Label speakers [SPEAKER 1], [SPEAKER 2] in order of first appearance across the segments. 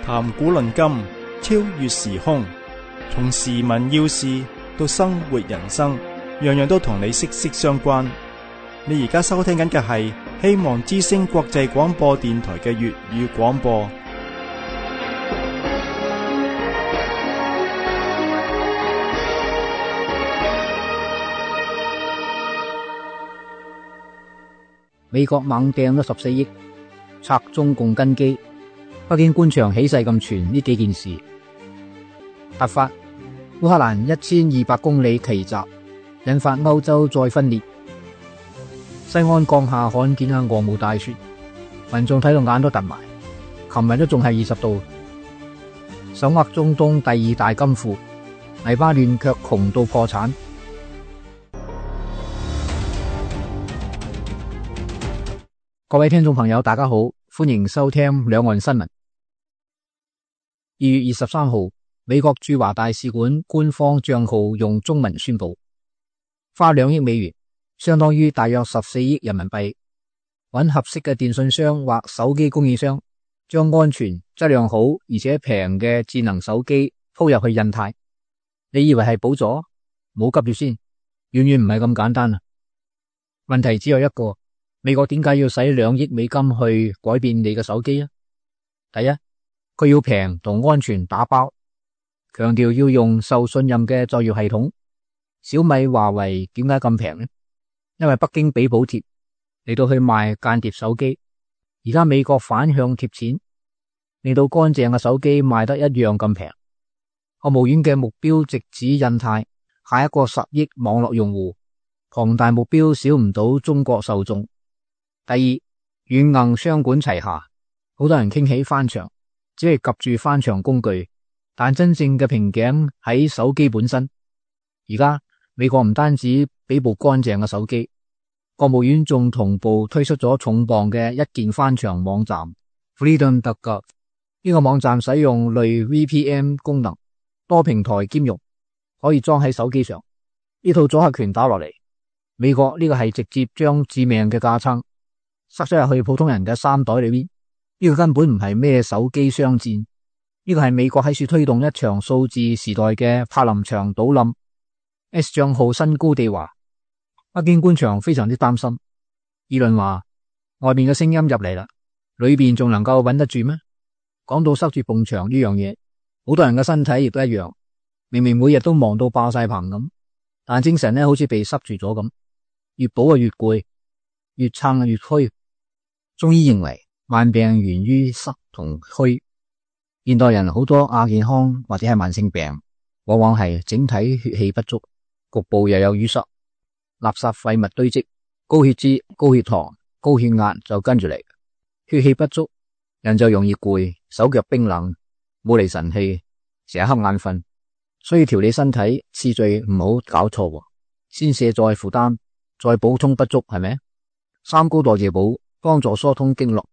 [SPEAKER 1] 談古論今，超越時空，從時聞要事到生活人生，樣樣都同你息息相關。你而家收聽緊嘅係希望之聲國際廣播電台嘅粵語廣播。
[SPEAKER 2] 美國猛掟咗14億，拆中共根基。北京官場起勢咁傳呢幾件事。突發烏克蘭1200公里奇襲，引發歐洲再分裂。西安降下罕見嘅鵝毛大雪，民眾睇到眼都突埋。琴日都仲係20度。手握中東第2大金庫，黎巴嫩卻窮到破產。各位聽眾朋友大家好，歡迎收聽兩岸新聞。2月23號，美國駐華大使館官方賬號用中文宣布，花2億美元，相當於大約14億人民幣，揾合適嘅電信商或手機供應商，將安全、質量好而且平嘅智能手機鋪入去印太。你以為係補助？冇急住先，遠遠唔係咁簡單啊！問題只有一個。美國點解要使2億美金去改變你嘅手機啊？第一，佢要平同安全打包，強調要用受信任嘅作業系統。小米、華為點解咁平呢？因為北京俾補貼嚟到去賣間諜手機。而家美國反向貼錢，令到乾淨嘅手機賣得一樣咁平。國務院嘅目標直指印太，下一個10億網絡用戶，龐大目標少唔到中國受眾。第二，軟硬雙管齊下，好多人傾起翻牆，只係及住翻牆工具，但真正嘅瓶頸喺手機本身。而家美國唔單止俾部乾淨嘅手機，國務院仲同步推出咗重磅嘅一鍵翻牆網站 Freedom.gov。 呢個網站使用類 VPN 功能，多平台兼容，可以裝喺手機上。呢套阻嚇拳打落嚟，美國呢個係直接將致命嘅架撐塞咗入去普通人嘅衫袋裏邊。呢個根本唔係咩手機商戰，呢個係美國喺處推動一場數字時代嘅柏林牆倒冧。S 賬號新高地話，北京官場非常之擔心，議論話外面嘅聲音入嚟啦，裏邊仲能夠穩得住咩？講到塞住埲牆呢樣嘢，好多人嘅身體亦都一樣，明明每日都忙到爆晒棚咁，但精神好似被塞住咗咁，越補越攰，越撐越虛。中醫認為慢病源於塞同虛，現代人好多亞健康或者係慢性病，往往係整體血氣不足，局部又有淤塞，垃圾廢物堆積，高血脂、高血糖、高血壓就跟住嚟。血氣不足，人就容易攰，手腳冰冷，冇嚟神氣，成日瞌眼瞓。所以調理身體次序唔好搞錯，先卸載負擔，再補充不足，係咪？三高代謝補幫助疏通經絡，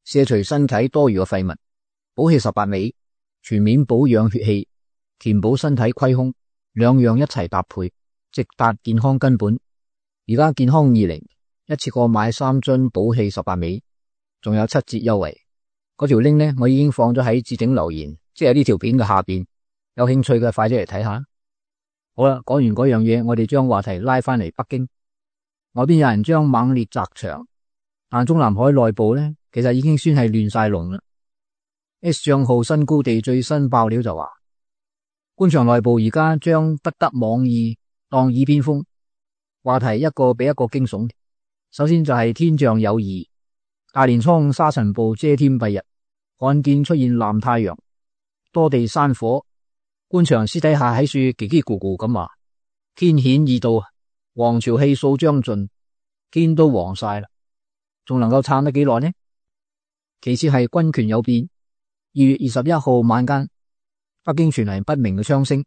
[SPEAKER 2] 卸除身體多餘嘅廢物，補氣18味，全面保養血氣，填補身體虧空，兩樣一齊搭配，直達健康根本。而家健康20一次過買3樽補氣18味，仲有7折優惠。嗰條 link 呢，我已經放咗喺置頂留言，即係呢條片嘅下邊，有興趣嘅快啲嚟睇下。好啦，講完嗰樣嘢，我哋將話題拉翻嚟北京。外邊有人將猛烈砸牆，但中南海內部呢，其實已經算係亂晒龍啦。S 賬號新高地最新爆料就話，官場內部而家將不得網易當耳邊風，話題一個比一個驚悚。首先就係天象有異，大年初5沙塵暴遮天蔽日，罕見出現藍太陽，多地山火，官場私底下喺處嘰嘰咕咕咁話，天顯異到，黃潮氣數將盡，天都黃晒啦，仲能夠撐得幾耐呢？其次係軍權有變。2月21號晚間，北京傳嚟不明嘅槍聲，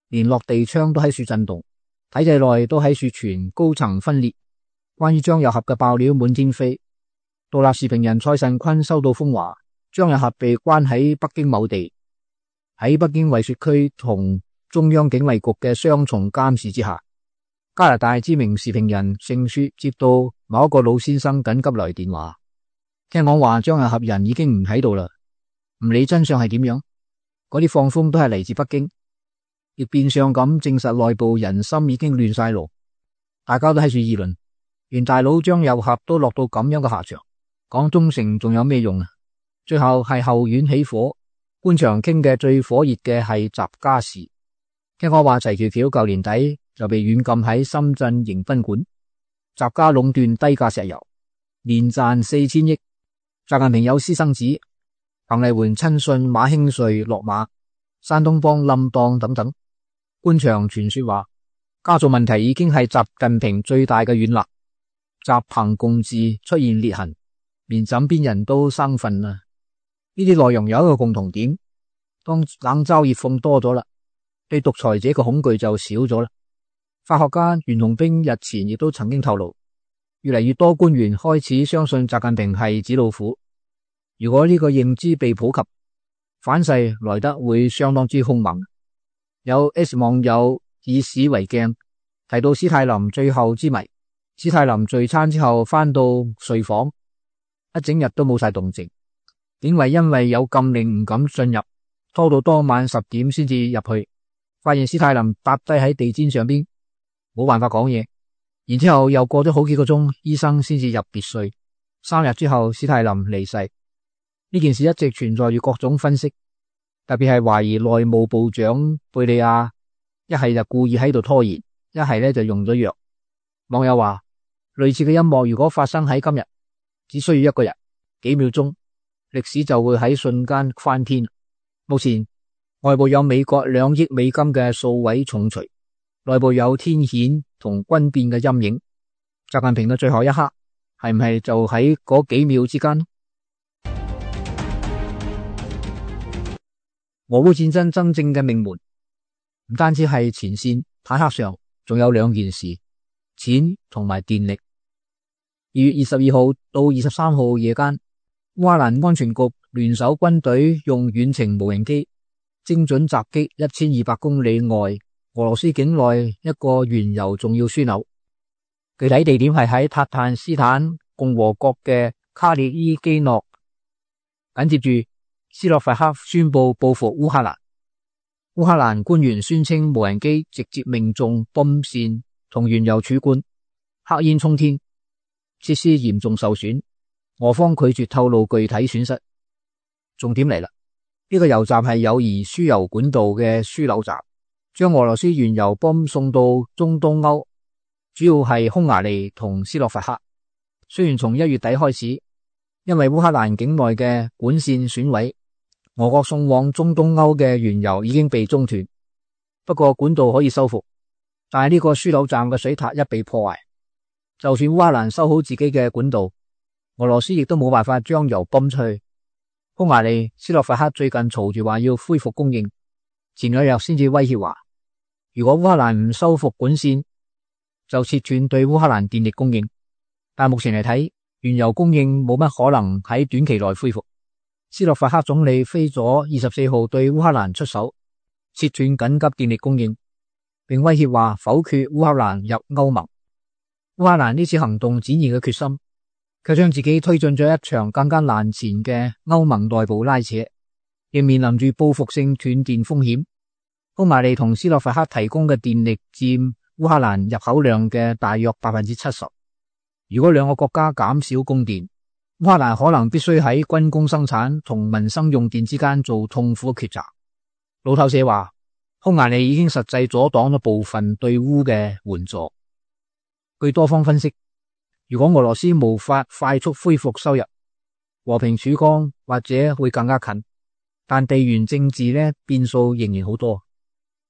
[SPEAKER 2] 連落地窗都喺處震動，體制內都喺處傳高層分裂。關於張又俠嘅爆料滿天飛，獨立時評人蔡慎坤收到風話，張又俠被關喺北京某地，喺北京惠雪區同中央警衛局嘅雙重監視之下。加拿大知名時評人盛雪接到某一個老先生緊急來電話，聽講話張又俠人已經唔喺度啦，唔理真相係點樣，嗰啲放風都係嚟自北京，亦變相咁證實內部人心已經亂晒路，大家都喺度議論，連大佬張又俠都落到咁樣嘅下場，講忠誠仲有咩用啊？最後係後院起火，官場傾嘅最火熱嘅係習家事。聽講話齊橋橋舊年底就被軟禁喺深圳迎賓館，習家壟斷低價石油，年賺4000億。習近平有私生子，彭麗媛親信馬興瑞落馬，山東幫冧檔等等。官場傳說話家族問題已經係習近平最大嘅軟肋，習彭共治出現裂痕，連枕邊人都生分啦。呢啲內容有一個共同點，當冷嘲熱諷多咗啦，對獨裁者嘅恐懼就少咗啦。法學家袁隆兵日前亦都曾經透露，越嚟越多官員開始相信習近平係紙老虎。如果呢個認知被普及，反噬來得會相當之兇猛。有 S 網友以史為鏡，提到史泰林最後之謎。史泰林聚餐之後翻到睡房，一整日都冇晒動靜。警衛因為有禁令唔敢進入，拖到當晚10點先至入去，發現史泰林搭低喺地氈上邊，冇辦法講嘢。然之後又過咗好幾個鐘，醫生先至入別睡。3日之後，史泰林離世。呢件事一直存在住各種分析，特別係懷疑內務部長貝利亞一係就故意喺度拖延，一係咧就用咗藥。網友話，類似嘅陰謀如果發生喺今日，只需要1個人幾秒鐘，歷史就會喺瞬間翻天。目前外部有美國2億美金嘅數位重錘，內部有天譴同軍變嘅陰影。習近平嘅最後一刻係唔係就喺嗰幾秒之間？俄烏戰爭真正嘅命門唔單止係前線坦克上，仲有2件事：錢同埋電力。2月22號到23號夜間，烏克蘭安全局聯手軍隊用遠程無人機精準襲擊1200公里外俄羅斯境內一個原油重要樞紐，具體地點係喺塔坦斯坦共和國嘅卡列伊基諾。緊接住斯洛伐克宣布報復烏克蘭。烏克蘭官員宣稱無人機直接命中泵線同原油儲罐，黑煙衝天，設施嚴重受損。俄方拒絕透露具體損失。重點嚟啦，呢個油站係友誼輸油管道嘅樞紐站，將俄羅斯原油泵送到中東歐，主要係匈牙利同斯洛伐克。雖然從1月底開始，因為烏克蘭境內嘅管線損毀，俄國送往中東歐嘅原油已經被中斷，不過管道可以修復。但係呢個樞紐站嘅水塔一被破壞，就算烏克蘭修好自己嘅管道，俄羅斯亦都冇辦法將油泵出去。匈牙利、斯洛伐克最近嘈住話要恢復供應，前2日先至威脅話，如果烏克蘭唔修復管線，就切斷對烏克蘭電力供應。但目前嚟睇，原油供應冇乜可能喺短期內恢復。斯洛伐克總理菲佐24號對烏克蘭出手，切斷緊急電力供應，並威脅話否決烏克蘭入歐盟。烏克蘭呢次行動展現嘅決心，卻將自己推進咗一場更加難纏嘅歐盟內部拉扯，亦面臨住報復性斷電風險。匈牙利同斯洛伐克提供嘅電力佔烏克蘭入口量嘅大約 70%。如果2個國家減少供電，烏克蘭可能必須喺軍工生產同民生用電之間做痛苦嘅抉擇。路透社話，匈牙利已經實際阻擋咗部分對烏嘅援助。據多方分析，如果俄羅斯無法快速恢復收入，和平曙光或者會更加近，但地緣政治呢變數仍然好多。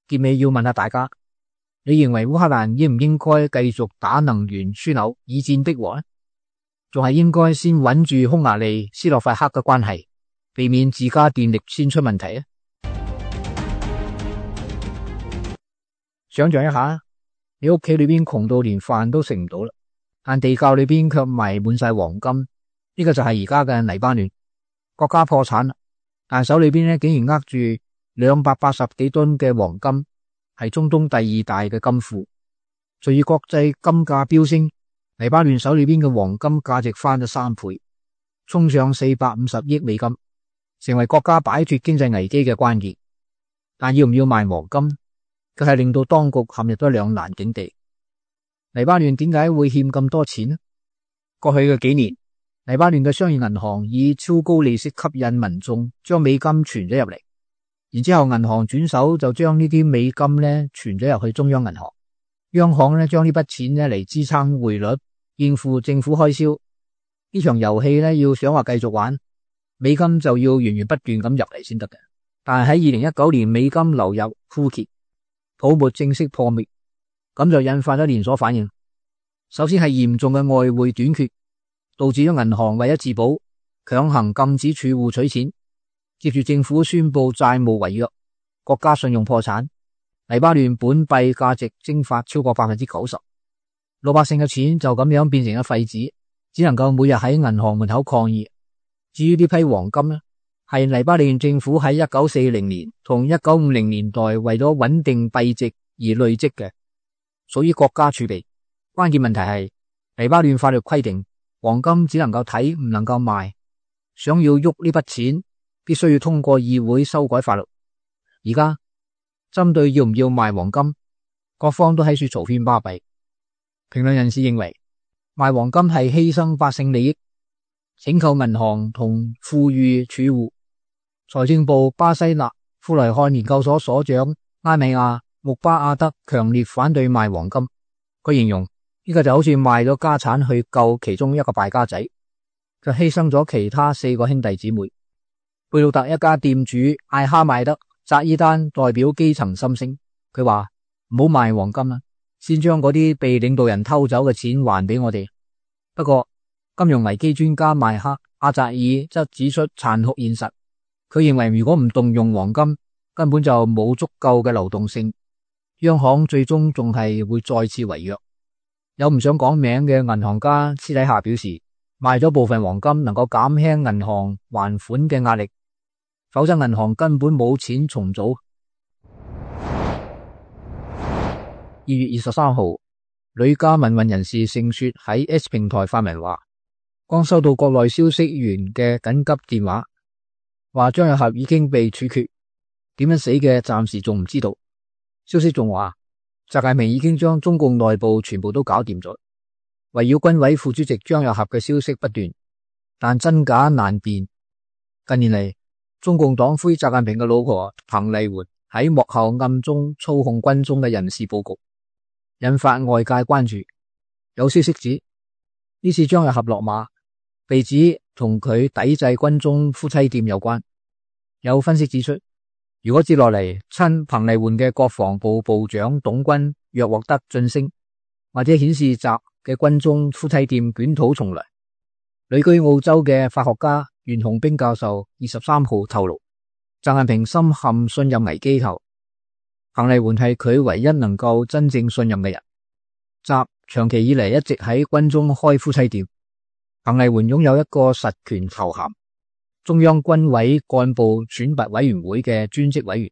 [SPEAKER 2] 結尾要問下大家，你認為烏克蘭應唔應該繼續打能源樞紐以戰逼和呢？仲係應該先穩住匈牙利、斯洛伐克嘅關係，避免自家電力先出問題啊？想象一下，你屋企裏邊窮到連飯都食唔到啦，但地窖裏邊卻埋滿晒黃金。呢個就係而家嘅黎巴嫩，國家破產啦，但手裏邊竟然握住280幾噸嘅黃金，係中東第2大嘅金庫。隨住國際金價飆升，黎巴嫩手裏邊嘅黃金價值翻咗3倍，衝上450億美金。成為國家擺脫經濟危機嘅關鍵。但要唔要賣黃金，卻係令到當局陷入咗兩難境地。黎巴嫩點解會欠咁多錢呢？過去嘅幾年，黎巴嫩嘅商業銀行以超高利息吸引民眾將美金存咗入嚟，然之後銀行轉手就將呢啲美金呢存咗入去中央銀行，央行呢將呢筆錢呢嚟支撐匯率，應付政府開銷。呢場遊戲呢要想話繼續玩，美金就要源源不斷咁入嚟先得嘅。但係喺2019年，美金流入枯竭，泡沫正式破滅，咁就引發咗連鎖反應。首先係嚴重嘅外匯短缺，導致咗銀行為咗自保，強行禁止儲戶取錢。接住政府宣布債務違約，國家信用破產，黎巴嫩本幣價值蒸發超過 90%， 老百姓嘅錢就咁樣變成咗廢紙，只能夠每日喺銀行門口抗議。至於呢批黃金呢，係黎巴嫩政府喺1940年同1950年代為咗穩定幣值而累積嘅，屬於國家儲備。關鍵問題係黎巴嫩法律規定黃金只能夠睇唔能夠賣，想要喐呢筆錢必須要通過議會修改法律。而家針對要唔要賣黃金，各方都喺處嘈喧巴閉。評論人士認為賣黃金係犧牲百姓利益，請求銀行同富裕儲戶。財政部巴西納富萊漢研究所所長拉米亞穆巴阿德強烈反對賣黃金，佢形容呢個就好似賣咗家產去救其中一個敗家仔，就犧牲咗其他4個兄弟姊妹。貝魯特一家店主艾哈邁德扎伊丹代表基層心聲，佢話唔好賣黃金啦，先將嗰啲被領導人偷走嘅錢還俾我哋。不過金融危機專家邁克阿扎爾則指出殘酷現實，佢認為如果唔動用黃金，根本就冇足夠嘅流動性，央行最終仲係會再次違約。有唔想講名嘅銀行家私底下表示，賣咗部分黃金能夠減輕銀行還款嘅壓力，否則銀行根本冇錢重組。2月23號，呂家民運人士盛雪喺 X 平台發文話，剛收到國內消息源嘅緊急電話，話張又俠已經被處決，點樣死嘅暫時仲唔知道。消息仲話習近平已經將中共內部全部都搞掂咗。圍繞軍委副主席張又俠嘅消息不斷，但真假難辨。近年嚟，中共黨魁習近平嘅老婆彭麗媛喺幕後暗中操控軍中嘅人事布局，引發外界關注。有消息指呢次張又俠落馬，被指同佢抵制軍中夫妻店有關。有分析指出，如果接落嚟親彭麗媛嘅國防部部長董軍若獲得晉升，或者顯示習嘅軍中夫妻店捲土重來。旅居澳洲嘅法學家袁洪兵教授23號透露，習近平深陷信任危機後，彭麗媛係佢唯一能夠真正信任嘅人。習長期以嚟一直喺軍中開夫妻店，彭麗媛擁有一個實權頭銜，中央軍委幹部選拔委員會嘅專職委員。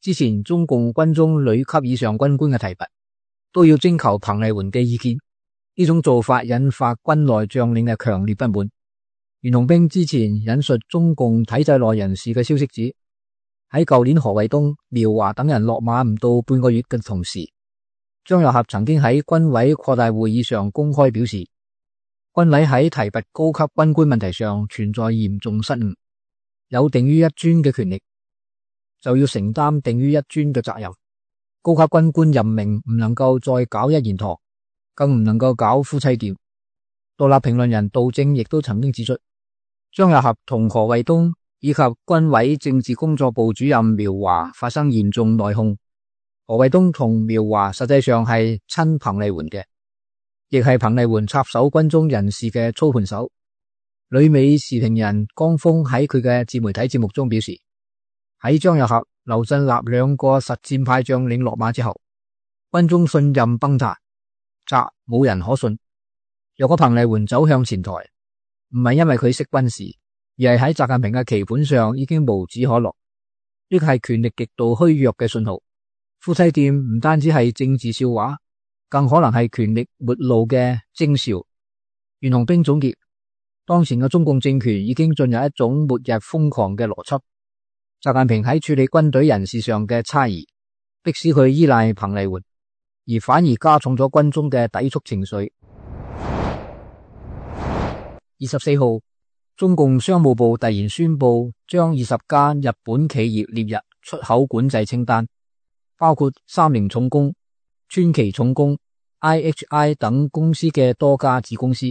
[SPEAKER 2] 之前中共軍中旅級以上軍官嘅提拔都要徵求彭麗媛嘅意見，呢種做法引發軍內將領嘅強烈不滿。袁洪兵之前引述中共體制內人士嘅消息指，喺舊年何衛東、苗華等人落馬唔到半個月嘅同時，張又俠曾經喺軍委擴大會議上公開表示，軍委喺提拔高級軍官問題上存在嚴重失誤，有定於一尊嘅權力，就要承擔定於一尊嘅責任。高級軍官任命唔能夠再搞一言堂，更唔能夠搞夫妻店。獨立評論人杜正亦都曾經指出，張又俠同何衛東以及軍委政治工作部主任苗華發生嚴重內訌。何衛東同苗華實際上係親彭麗媛嘅，亦係彭麗媛插手軍中人事嘅操盤手。旅美時評人江峰喺佢嘅自媒體節目中表示，喺張又俠、劉振立兩個實戰派將領落馬之後，軍中信任崩塌，習冇人可信。若果彭麗媛走向前台，唔係因為佢識軍事，而係喺習近平嘅棋盤上已經無指可落。呢個係權力極度虛弱嘅信號。夫妻店唔單止係政治笑話，更可能係權力末路嘅徵兆。袁洪兵總結，當前嘅中共政權已經進入一種末日瘋狂嘅邏輯。習近平喺處理軍隊人事上嘅差異，迫使佢依賴彭麗媛，而反而加重咗軍中嘅抵觸情緒。24號，中共商務部突然宣布將20家日本企業列入出口管制清單，包括三菱重工、川崎重工、IHI 等公司嘅多家子公司，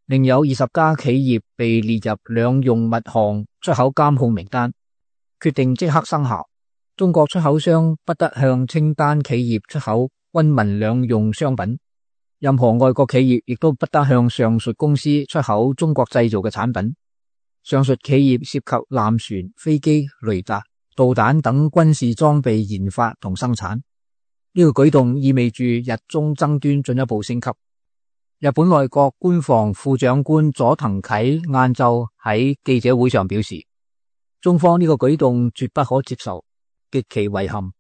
[SPEAKER 2] 另有20家企業被列入兩用物項出口監控名單。決定即刻生效，中國出口商不得向清單企業出口軍民兩用商品，任何外國企業亦都不得向上述公司出口中國製造嘅產品。上述企業涉及艦船、飛機、雷達、導彈等軍事裝備研發同生產。呢個舉動意味住日中爭端進一步升級。日本內閣官房副長官佐藤啓晏晝喺記者會上表示，中方呢個舉動絕不可接受，極其遺憾，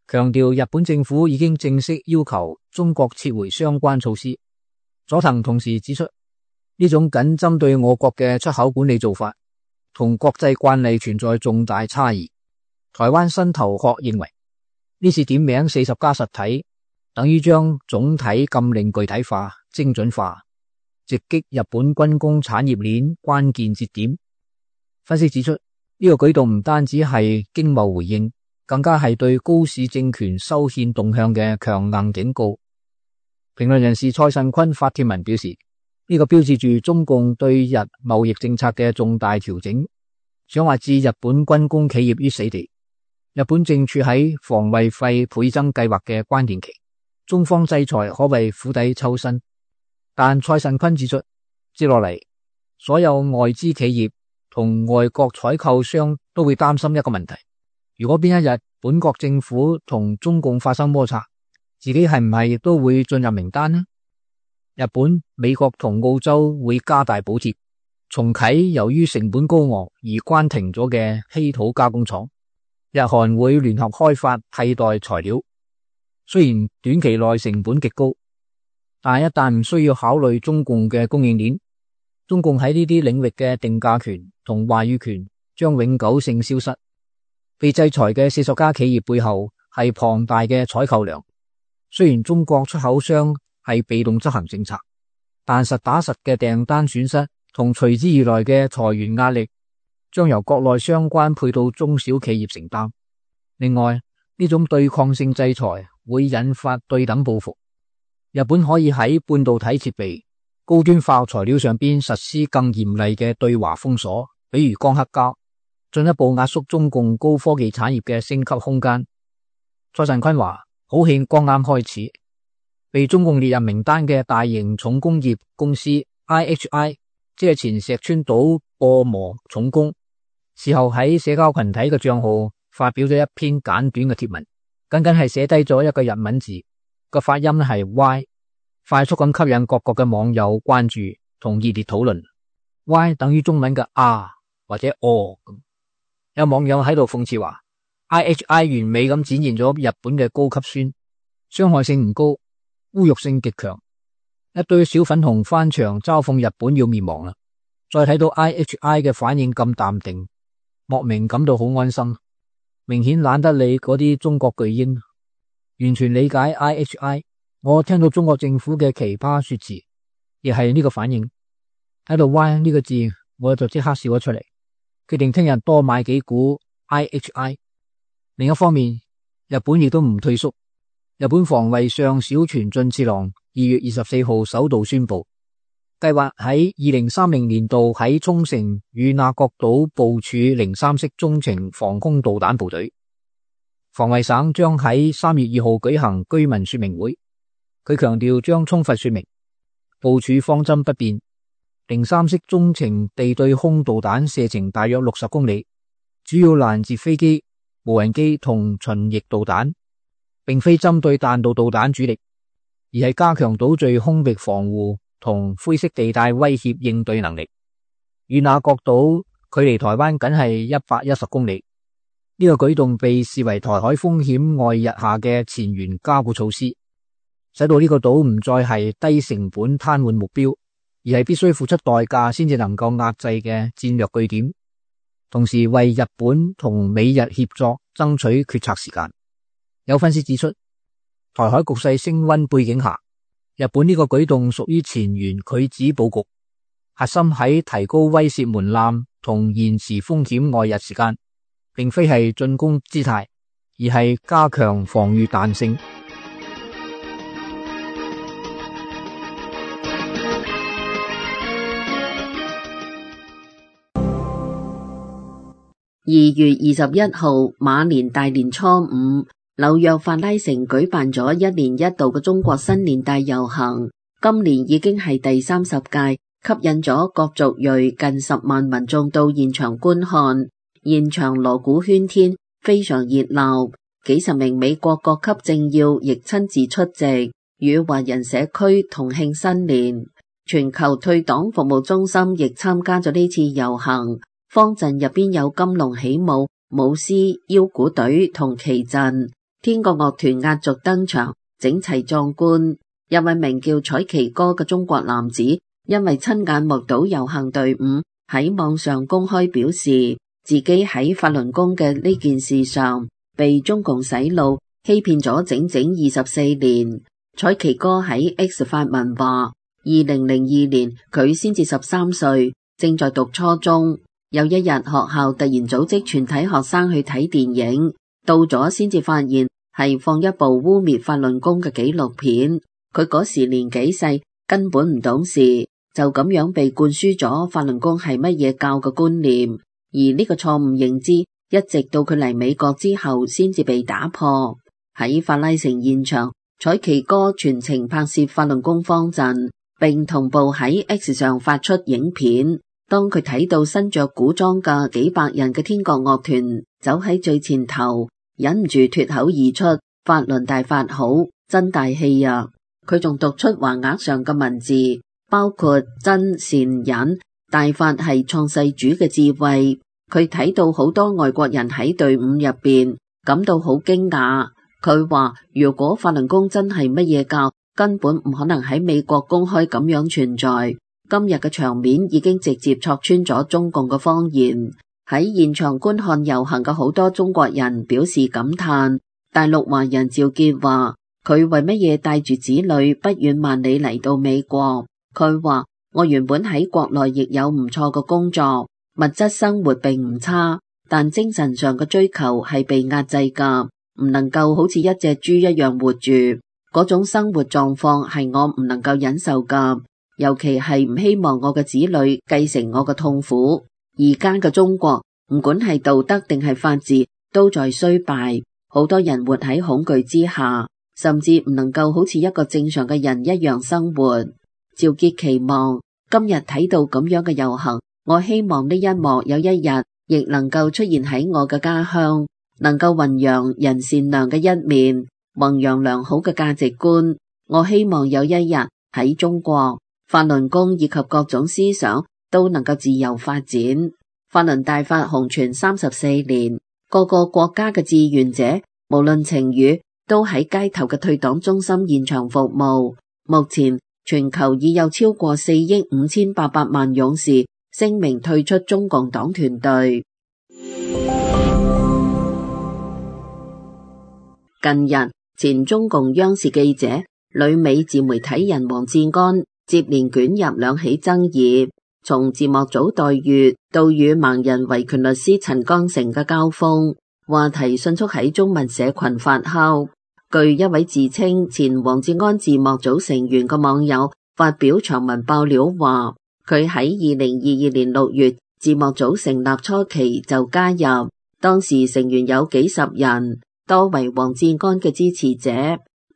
[SPEAKER 2] 強調日本政府已經正式要求中國撤回相關措施。佐藤同時指出，呢種僅針對我國嘅出口管理做法，同國際慣例存在重大差異。台灣新頭殼認為，呢次點名40家實體，等於將總體禁令具體化、精準化，直擊日本軍工產業鏈關鍵節點。分析指出，呢個舉動唔單止係經貿回應，更加係對高市政權修憲動向嘅強硬警告。評論人士蔡慎坤發帖文表示，呢個標誌住中共對日貿易政策嘅重大調整，想話置日本軍工企業於死地。日本正處喺防衛費倍增計劃嘅關鍵期，中方制裁可謂釜底抽薪。但蔡慎坤指出，接落嚟所有外資企業同外國採購商都會擔心一個問題，如果邊一日本國政府同中共發生摩擦，自己係唔係亦都會進入名單呢？日本、美國同澳洲會加大補貼，重啟由於成本高昂而關停咗嘅稀土加工廠，日韓會聯合開發替代材料。雖然短期內成本極高，但一旦唔需要考慮中共嘅供應鏈，中共喺呢啲領域嘅定價權同話語權將永久性消失。被制裁嘅40家企業背後係龐大嘅採購量。雖然中國出口商係被動執行政策，但實打實嘅訂單損失同隨之而來嘅裁員壓力將由國內相關配套中小企業承擔。另外，呢種對抗性制裁會引發對等報復。日本可以喺半導體設備、高端化學材料上邊實施更嚴厲嘅對華封鎖，比如鋼刻膠，進一步壓縮中共高科技產業嘅升級空間。蔡慎坤話，好戲剛啱開始。被中共列入名單嘅大型重工業公司 IHI， 即係前石川島播磨重工，事後喺社交群體嘅賬號發表咗一篇簡短嘅貼文，僅僅係寫低咗一個日文字，個發音係 Y， 快速咁吸引各國嘅網友關注同熱烈討論。Y 等於中文嘅啊或者哦。有網友喺度諷刺話， IHI 完美咁展現咗日本嘅高級酸，傷害性唔高，侮辱性極強。一堆小粉紅翻牆嘲諷日本要滅亡啦。再睇到 IHI 嘅反應咁淡定，莫名感到好安心，明顯懶得理嗰啲中國巨嬰，完全理解 IHI。 我聽到中國政府嘅奇葩說辭，亦係呢個反應。睇到 Y 呢個字，我就即刻笑咗出嚟，決定聽日多買幾股 IHI。 另一方面，日本亦都唔退縮。日本防衛相小泉進次郎2月24號首度宣布，計劃喺2030年度喺沖繩與那國島部署03式中程防空導彈部隊。防衛省將喺3月2號舉行居民說明會，佢強調將充分說明部署方針不變，03式中程地對空導彈射程大約60公里，主要攔截飛機、無人機同巡弋導彈，並非針對彈道導彈主力，而係加強島嶼空域防護同灰色地帶威脅應對能力。與那國島距離台灣僅係110公里，呢個舉動被視為台海風險外溢下嘅前沿加固措施，使到呢個島唔再係低成本癱瘓目標，而而係必須付出代價先至能夠壓制嘅戰略據點，同時為日本同美日協作爭取決策時間。有分析指出，台海局勢升溫背景下，日本呢個舉動屬於前沿拒止布局，核心喺提高威懾門檻同延遲風險外溢時間，並非係進攻姿態，而係加強防禦彈性。
[SPEAKER 3] 2月21號馬年大年初五，紐約法拉盛舉辦咗1年1度嘅中國新年大遊行，今年已經係第30屆，吸引咗各族裔近10萬民眾到現場觀看，現場鑼鼓喧天，非常熱鬧，幾十名美國各級政要亦親自出席，與華人社區同慶新年。全球退黨服務中心亦參加咗呢次遊行。方陣入邊有金龍起舞、舞獅、腰鼓隊同旗陣，天國樂團壓軸登場，整齊壯觀。一位名叫彩旗哥嘅中國男子，因為親眼目睹遊行隊伍，喺網上公開表示，自己喺法輪功嘅呢件事上被中共洗腦欺騙咗整整24年。彩旗哥喺 X 發文話，2002年佢先至13歲，正在讀初中。有一日學校突然組織全體學生去睇電影，到咗先至發現係放一部污衊法輪功嘅紀錄片。佢嗰時年紀細，根本唔懂事，就咁樣被灌輸咗法輪功係乜嘢教嘅觀念。而呢個錯誤認知，一直到佢嚟美國之後先至被打破。喺法拉盛現場，彩旗哥全程拍攝法輪功方陣，並同步喺 X 上發出影片。當佢睇到身着古裝嘅幾百人嘅天國樂團走喺最前頭，忍唔住脫口而出：法輪大法好，真大氣啊！佢仲讀出橫額上嘅文字，包括真善忍，大法係創世主嘅智慧。佢睇到好多外國人喺隊伍入邊，感到好驚訝。佢話如果法輪功真係乜嘢教，根本唔可能喺美國公開咁樣存在。今日嘅場面已經直接戳穿咗中共嘅謊言。喺現場觀看遊行嘅好多中國人表示感嘆。大陸華人趙傑話：佢為乜嘢帶住子女不遠萬里嚟到美國？佢話：我原本喺國內亦有唔錯嘅工作，物質生活並唔差，但精神上嘅追求係被壓制㗎，唔能夠好似一隻豬一樣活住。嗰種生活狀況係我唔能夠忍受㗎。尤其係唔希望我嘅子女繼承我嘅痛苦。而家嘅中國，唔管係道德定係法治，都在衰敗。好多人活喺恐懼之下，甚至唔能夠好似一個正常嘅人一樣生活。趙傑期望今日睇到咁樣嘅遊行，我希望呢一幕有一日亦能夠出現喺我嘅家鄉，能夠弘揚人善良嘅一面，弘揚良好嘅價值觀。我希望有一日喺中國，法輪功以及各種思想都能夠自由發展。法輪大法紅傳34年，各個國家嘅志願者，無論情與，都喺街頭嘅退黨中心現場服務。目前全球已有超過4億5800萬勇士聲明退出中共黨團隊。近日，前中共央視記者、旅美自媒體人王志安接連捲入兩起爭議，從字幕組待遇到與盲人維權律師陳剛成嘅交鋒，話題迅速喺中文社群發酵。據一位自稱前王志安字幕組成員嘅網友發表長文爆料話，佢喺2022年6月字幕組成立初期就加入，當時成員有幾十人，多為王志安嘅支持者。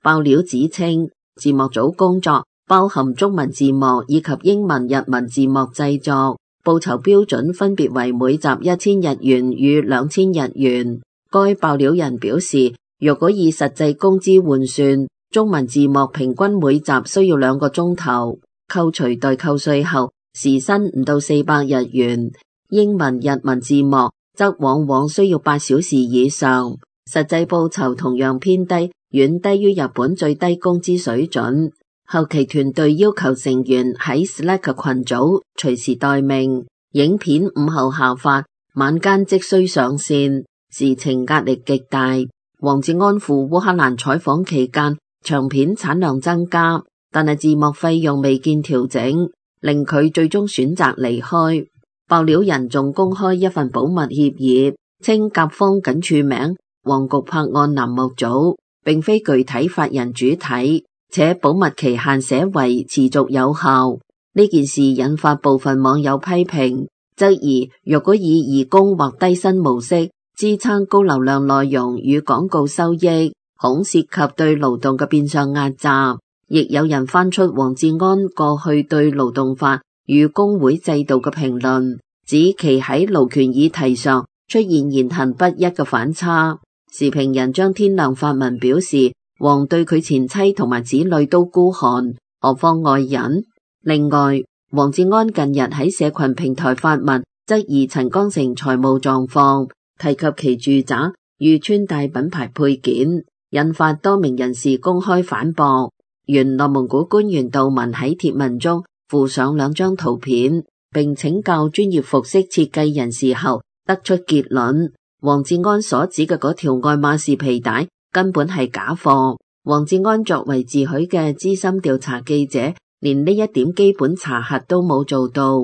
[SPEAKER 3] 爆料指稱字幕組工作包含中文字幕以及英文、日文字幕製作，報酬標準分別為每集1000日元與2000日元。該爆料人表示，若果以實際工資換算，中文字幕平均每集需要2個鐘頭，扣除代扣稅後，時薪唔到400日元。英文、日文字幕則往往需要8小時以上，實際報酬同樣偏低，遠低於日本最低工資水準。後期團隊要求成員喺 Slack 群組隨時待命，影片午後下發，晚間即須上線，時程壓力極大。王志安赴烏克蘭採訪期間，長片產量增加，但係字幕費用未見調整，令佢最終選擇離開。爆料人仲公開一份保密協議，稱甲方僅署名黃局拍案欄目組，並非具體法人主體，且保密期限寫為持續有效。呢件事引發部分網友批評，質疑若果以義工或低薪模式支撐高流量內容與廣告收益，恐涉及對勞動嘅變相壓榨。亦有人翻出王志安過去對勞動法與工會制度嘅評論，指其喺勞權議題上出現言行不一嘅反差。時評人張天亮發文表示，王對佢前妻同埋子女都孤寒，何況外人。另外，王志安近日喺社群平台發文，質疑陳光誠財務狀況，提及其住宅遇穿戴品牌配件，引發多名人士公開反駁。原內蒙古官員杜文喺帖文中附上2張圖片，並請教專業服飾設計人士後，得出結論：王志安所指嘅嗰條愛馬仕皮帶根本係假貨。王志安作為自詡嘅資深調查記者，連呢一點基本查核都冇做到。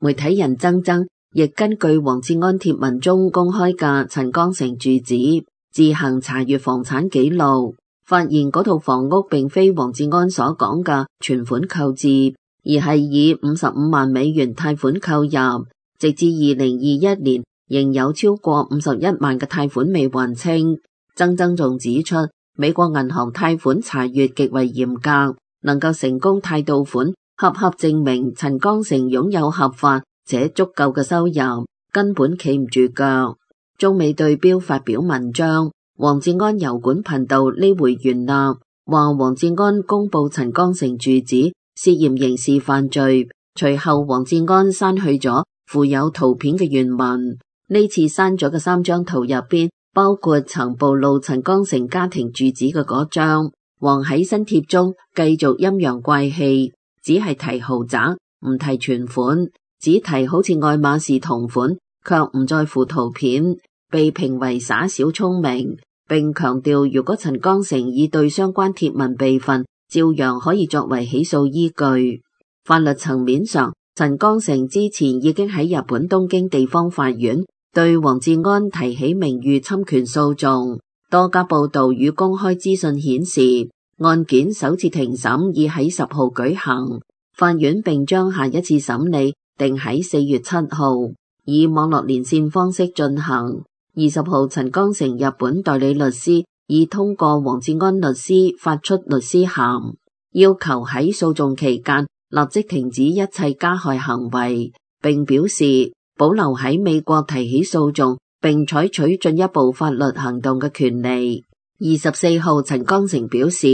[SPEAKER 3] 媒體人曾曾亦根據王志安帖文中公開嘅陳光誠住址，自行查閱房產記錄，發現嗰套房屋並非王志安所講嘅存款購置，而係以55萬美元貸款購入，直至2021年仍有超過51萬嘅貸款未還清。曾曾仲指出，美國銀行貸款查閱極為嚴格，能夠成功貸到款，恰恰證明陳光誠擁有合法且足夠嘅收入，根本企唔住腳。中美對標發表文章，王志安油管頻道呢回袁立話王志安公布陳光誠住址涉嫌刑事犯罪，隨後王志安刪去咗附有圖片嘅原文。呢次刪咗嘅3張圖入邊，包括曾暴露陳光誠家庭住址嘅嗰張。王喺新帖中繼續陰陽怪氣，只係提豪宅，唔提存款，只提好似愛馬仕同款，卻唔在乎圖片，被評為耍小聰明，並強調如果陳光誠已對相關帖文備份，照樣可以作為起訴依據。法律層面上，陳光誠之前已經喺日本東京地方法院對王志安提起名譽侵權訴訟。多家報道與公開資訊顯示，案件首次庭審已喺10號舉行，法院並將下一次審理定喺4月7號，以網絡連線方式進行。20號，陳光誠日本代理律師已通過王志安律師發出律師函，要求喺訴訟期間立即停止一切加害行為，並表示保留喺美國提起訴訟並採取進一步法律行動嘅權利。24號，陳光誠表示，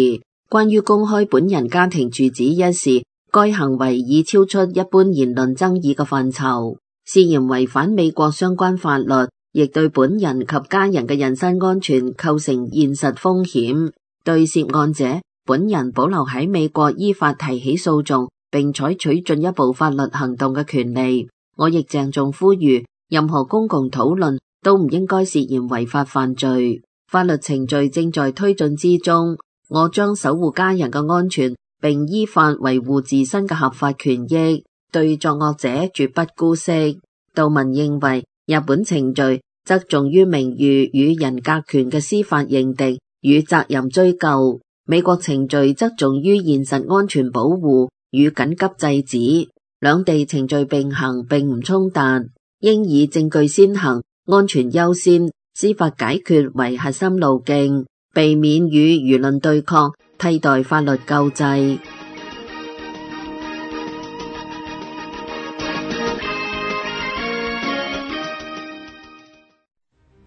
[SPEAKER 3] 關於公開本人家庭住址一事，該行為已超出一般言論爭議嘅範疇，涉嫌違反美國相關法律，亦對本人及家人嘅人身安全構成現實風險。對涉案者本人保留喺美國依法提起訴訟並採取進一步法律行動嘅權利。我亦鄭重呼籲，任何公共討論都唔應該涉嫌違法犯罪。法律程序正在推進之中，我將守護家人嘅安全，並依法維護自身嘅合法權益，對作惡者絕不姑息。杜文認為，日本程序側重於名譽與人格權嘅司法認定與責任追究，美國程序側重於現實安全保護與緊急制止，兩地程序並行並唔衝突，應以證據先行、安全優先、司法解決為核心路徑，避免與輿論對抗，替代法律救濟。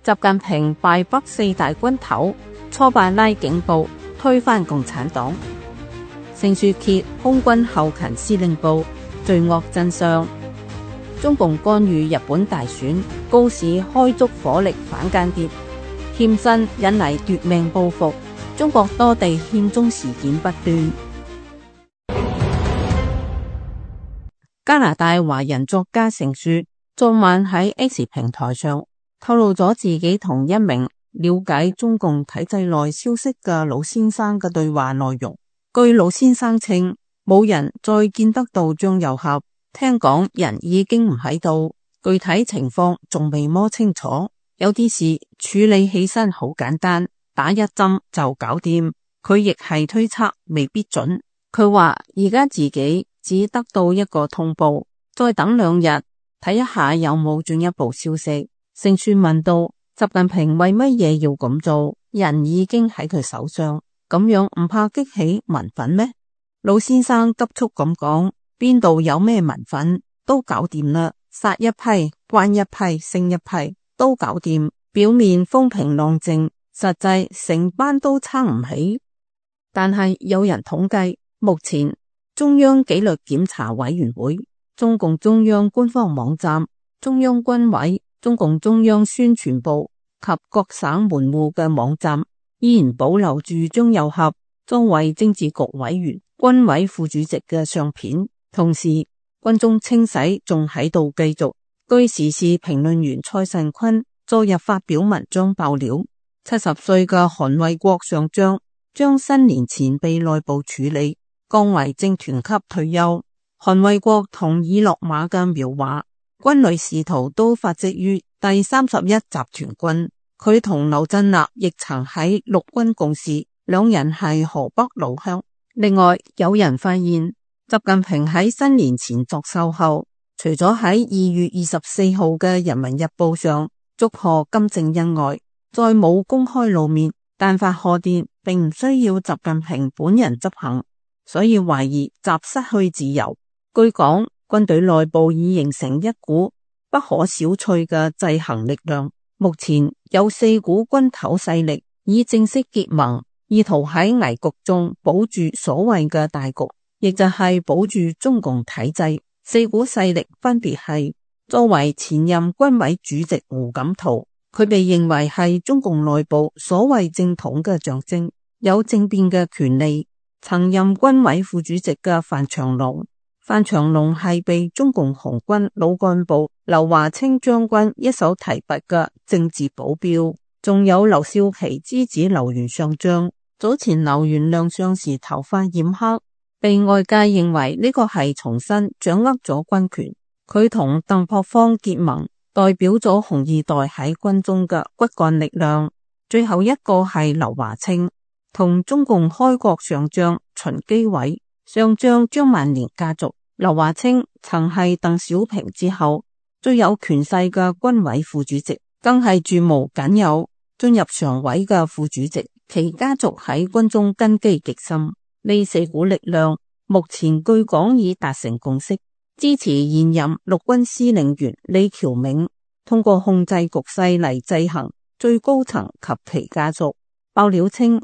[SPEAKER 4] 習近平敗北4大軍頭，挫敗拉警部，推翻共產黨。盛書揭空軍後勤司令部罪惡真相。中共干預日本大選，高市開足火力反間諜，欠薪引嚟奪命報復。中國多地憲宗事件不斷。加拿大華人作家成樹昨晚喺 X 平台上透露咗自己同一名了解中共體制內消息嘅老先生嘅對話內容。據老先生稱，冇人再見得到張又俠，聽講人已經唔喺度，具體情況仲未摸清楚。有啲事處理起身好簡單，打一針就搞掂。佢亦係推測，未必準。佢話而家自己只得到一個通報，再等2日睇一下有冇進一步消息。成樹問道：習近平為乜嘢要咁做？人已經喺佢手上，咁樣唔怕激起民憤咩？老先生急速咁講：邊度有咩民憤，都搞掂啦，殺一批，關一批，升一批，都搞掂。表面風平浪靜，實際成班都撐唔起。但係有人統計，目前中央紀律檢查委員會、中共中央官方網站、中央軍委、中共中央宣傳部及各省門戶嘅網站依然保留住張又俠作為政治局委員、軍委副主席嘅相片。同時，軍中清洗仲喺度繼續。據時事評論員蔡慎坤昨日發表文章爆料，70歲嘅韓衛國上將將新年前被內部處理，降為政團級退休。韓衛國同已落馬嘅苗華，軍旅仕途都發跡於第31集團軍。佢同劉振立亦曾喺陸軍共事，兩人係河北老鄉。另外，有人發現習近平喺新年前作秀後，除咗喺2月24號嘅人民日報上祝賀金正恩外，再冇公開露面。但發賀電並唔需要習近平本人執行，所以懷疑習失去自由。據講，軍隊內部已形成一股不可小覷嘅制衡力量。目前有4股軍頭勢力已正式結盟，意圖喺危局中保住所謂嘅大局，亦就係保住中共體制。4股勢力分別係：作為前任軍委主席胡錦濤，佢被認為係中共內部所謂正統嘅象徵，有政變嘅權利。曾任軍委副主席嘅范長龍係被中共紅軍老幹部劉華清將軍一手提拔嘅政治保鏢。仲有劉少奇之子劉元上將，早前劉元亮相時頭髮染黑，被外界認為呢個係重新掌握咗軍權。佢同鄧樸方結盟，代表咗紅二代喺軍中嘅骨幹力量。最後一個係劉華清，同中共開國上將秦基偉、上將張萬年家族。劉華清曾係鄧小平之後最有權勢嘅軍委副主席，更係駐無僅有進入常委嘅副主席。其家族喺軍中根基極深。呢4股力量目前據講已達成共識，支持現任陸軍司令員李喬銘通過控制局勢嚟制衡最高層及其家族。爆料稱，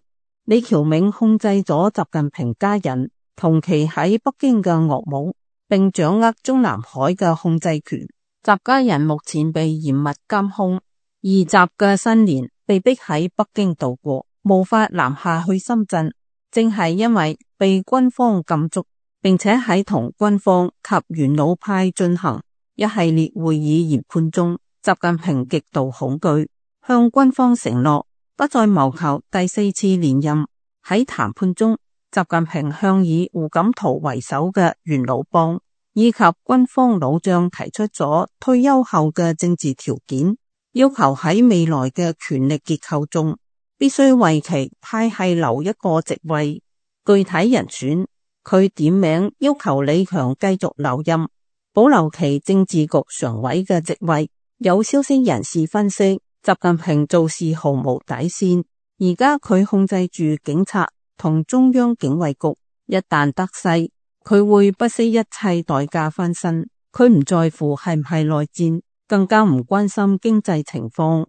[SPEAKER 4] 李喬銘控制咗習近平家人同期喺北京嘅岳母，並掌握中南海嘅控制權。習家人目前被嚴密監控，而習嘅新年被逼喺北京度過，無法南下去深圳，正係因為被軍方禁足，並且喺同軍方及元老派進行一系列會議研判中，習近平極度恐懼，向軍方承諾不再謀求第4次連任。喺談判中，習近平向以胡錦濤為首嘅元老幫以及軍方老將提出咗退休後嘅政治條件，要求喺未來嘅權力結構中必須為其派系留一個席位。具體人選，佢點名要求李強繼續留任，保留其政治局常委嘅席位。有消息人士分析，習近平做事毫無底線，而家佢控制住警察同中央警衛局，一旦得勢，佢會不惜一切代價翻身。佢唔在乎係唔係內戰，更加唔關心經濟情況。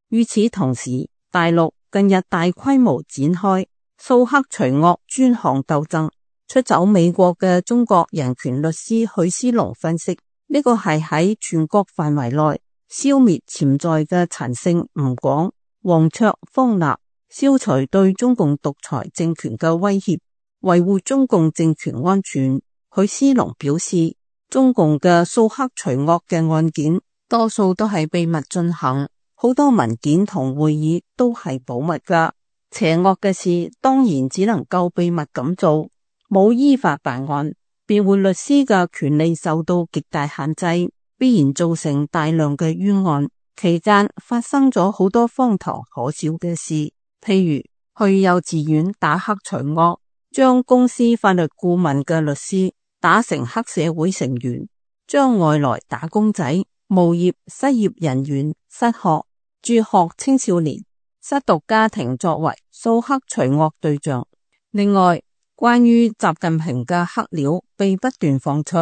[SPEAKER 4] 與此同時，大陸近日大規模展開掃黑除惡專項鬥爭。出走美國嘅中國人權律師許思龍分析，呢個係喺全國範圍內消滅潛在嘅陳勝、吳廣、黃卓、方立，消除對中共獨裁政權嘅威脅，維護中共政權安全。許思龍表示，中共嘅掃黑除惡嘅案件，多數都係秘密進行，好多文件同會議都係保密噶。邪惡嘅事當然只能夠秘密咁做，冇依法辦案，辯護律師嘅權利受到極大限制，必然造成大量嘅冤案。期間發生咗好多荒唐可笑嘅事，譬如去幼稚園打黑除惡，將公司法律顧問嘅律師打成黑社會成員，將外來打工仔、無業失業人員、失學、輟學青少年、失獨家庭作為掃黑除惡對象。另外，關於習近平嘅黑料被不斷放出。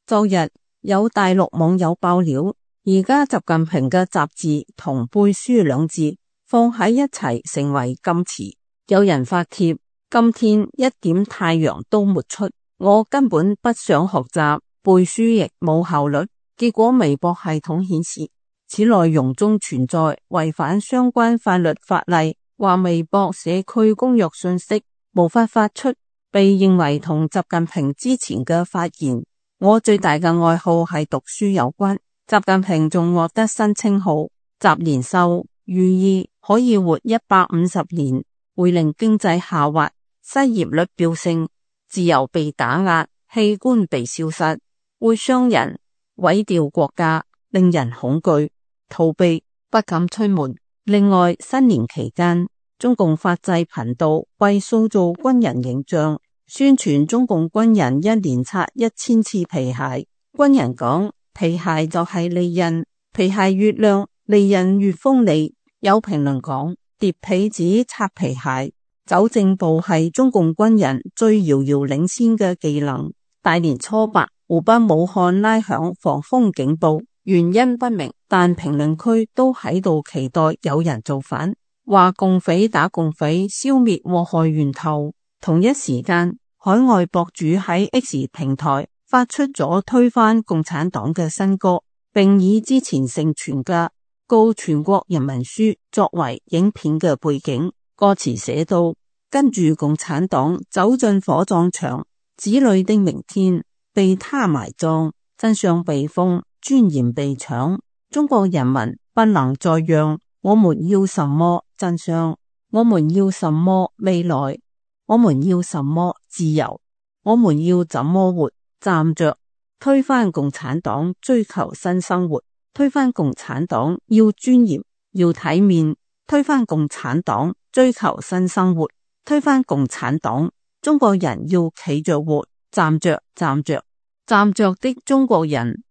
[SPEAKER 4] 昨日有大陸網友爆料，而家習近平嘅習字同背書兩字放喺一齊成為禁詞。有人發帖，今天一點太陽都沒出，我根本不想學習，背書亦冇效率。結果微博系統顯示，此內容中存在違反相關法律法例，話微博社區公約信息無法發出，被認為同習近平之前嘅發言我最大嘅愛好係讀書有關。習近平仲獲得新稱號習年獸，寓意可以活150年，會令經濟下滑，失業率飆升，自由被打壓，器官被消失，會傷人，毀掉國家，令人恐懼，逃避，不敢出門。另外，新年期間，中共法制頻道為塑造軍人形象，宣傳中共軍人一年擦1000次皮鞋。軍人講，皮鞋就係利刃，皮鞋越亮，利刃越鋒利。有評論講，疊被子擦皮鞋，走正步係中共軍人最遙遙領先嘅技能。大年初八，湖北武漢拉響防風警報，原因不明，但評論區都喺度期待有人造反，話共匪打共匪，消滅禍害源頭。同一時間，海外博主喺 X 平台發出咗推翻共產黨嘅新歌，並以之前盛傳嘅告全國人民書作為影片嘅背景。歌詞寫到，跟住共產黨走進火葬場，子女的明天被他埋葬，真相被封，尊嚴被搶。中國人民不能再讓，我們要什麼真相？我們要什麼未來？我們要什麼自由？我們要怎麼活？站着推翻共產黨，追求新生活。推翻共產黨要尊嚴，要體面。推翻共產黨，追求新生活。推翻共產黨，中國人要企着活，站着，站着，站着的中國人。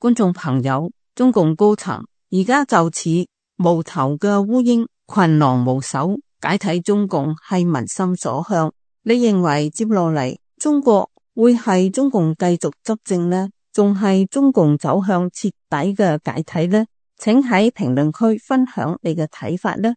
[SPEAKER 4] 觀眾朋友，中共高層而家就似無頭嘅烏蠅，群狼無首，解體中共係民心所向。你認為接落嚟中國會係中共繼續執政呢，仲係中共走向徹底嘅解體呢？請喺評論區分享你嘅睇法呢。